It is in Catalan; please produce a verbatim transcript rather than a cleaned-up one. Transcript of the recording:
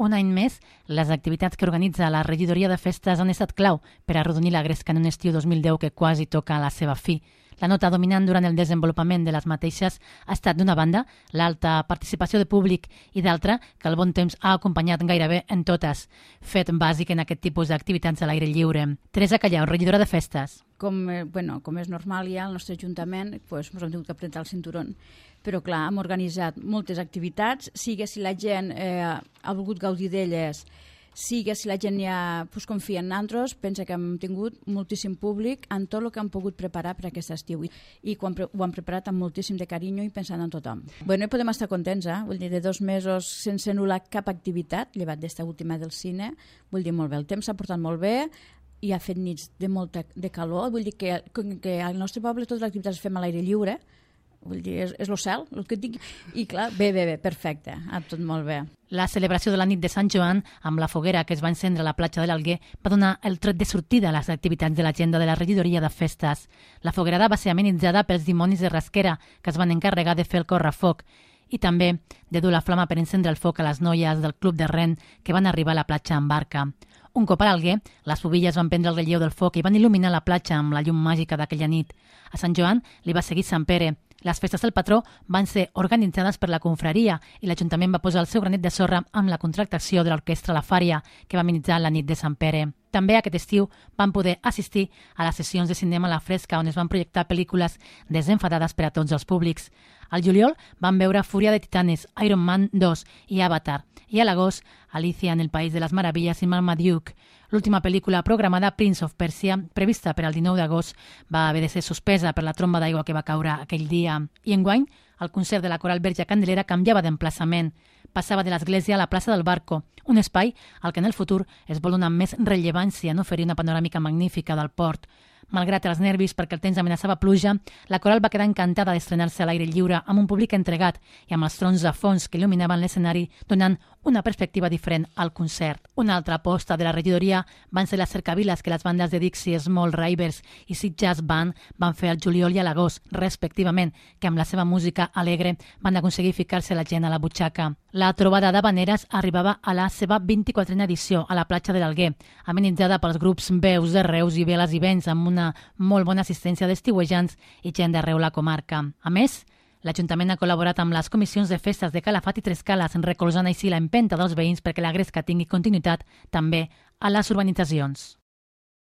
Un any més, les activitats que organitza la regidoria de festes han estat clau per arrodonir la gresca en un estiu dos mil deu que quasi toca a la seva fi. La nota dominant durant el desenvolupament de les mateixes ha estat, d'una banda, l'alta participació de públic i d'altra, que el bon temps ha acompanyat gairebé en totes, fet bàsic en aquest tipus d'activitats a l'aire lliure. Teresa Callau, regidora de festes. Com, eh, bueno, com és normal ja al nostre ajuntament, pues, ens hem tingut que apretar el cinturón. Però clar, hem organitzat moltes activitats, sigui si la gent eh, ha volgut gaudir d'elles, sigui si la gent ja pues, confia en nosaltres, pensa que hem tingut moltíssim públic en tot el que hem pogut preparar per aquest estiu. I quan ho hem preparat amb moltíssim de carinyo i pensant en tothom. Bueno, podem estar contents, eh? Vull dir, de dos mesos sense anul·lar cap activitat, llevat d'esta última del cine, vull dir, molt bé. El temps s'ha portat molt bé, i ha fet nits de molta de calor, vull dir que, que al nostre poble totes les activitats les fem a l'aire lliure, vull dir, és, és el cel, el que et dic, i clar, bé, bé, bé, perfecte, ha tot molt bé. La celebració de la nit de Sant Joan, amb la foguera que es va encendre a la platja de l'Alguer, va donar el tret de sortida a les activitats de l'agenda de la regidoria de festes. La foguerada va ser amenitzada pels dimonis de Rasquera, que es van encarregar de fer el correfoc, i també de dur la flama per encendre el foc a les noies del Club de Ren que van arribar a la platja en barca. Un cop a l'Alguer, les bobilles van prendre el relleu del foc i van il·luminar la platja amb la llum màgica d'aquella nit. A Sant Joan li va seguir Sant Pere. Les festes del patró van ser organitzades per la confraria i l'Ajuntament va posar el seu granet de sorra amb la contractació de l'orquestra La Fària, que va amenitzar la nit de Sant Pere. També aquest estiu van poder assistir a les sessions de cinema a la fresca, on es van projectar pel·lícules desenfadades per a tots els públics. Al juliol van veure Fúria de Titanes, Iron Man dos i Avatar, i a l'agost Alicia en el País de les Meravilles i Marmaduke. L'última pel·lícula programada, Prince of Persia, prevista per al dinou d'agost, va haver de ser suspesa per la tromba d'aigua que va caure aquell dia. I enguany, el concert de la Coral Verge Candelera canviava d'emplaçament. Passava de l'església a la plaça del Barco, un espai al que en el futur es vol donar més rellevància en oferir una panoràmica magnífica del port. Malgrat els nervis perquè el temps amenaçava pluja, la coral va quedar encantada d'estrenar-se a l'aire lliure amb un públic entregat i amb els trons de fons que il·luminaven l'escenari, donant una perspectiva diferent al concert. Una altra aposta de la regidoria van ser les cercaviles que les bandes de Dixie Small Ravers i Sid Jazz Band van fer al juliol i a l'agost, respectivament, que amb la seva música alegre van aconseguir ficar-se la gent a la butxaca. La trobada d'habaneres arribava a la seva vint-i-quatrena edició a la platja de l'Alguer, amenitzada pels grups Veus de Reus i Veles i Vents, amb una molt bona assistència d'estiuejants i gent d'arreu la comarca. A més, l'Ajuntament ha col·laborat amb les comissions de festes de Calafat i Tres Cales, recolzant així l'empenta dels veïns perquè la gresca tingui continuïtat també a les urbanitzacions.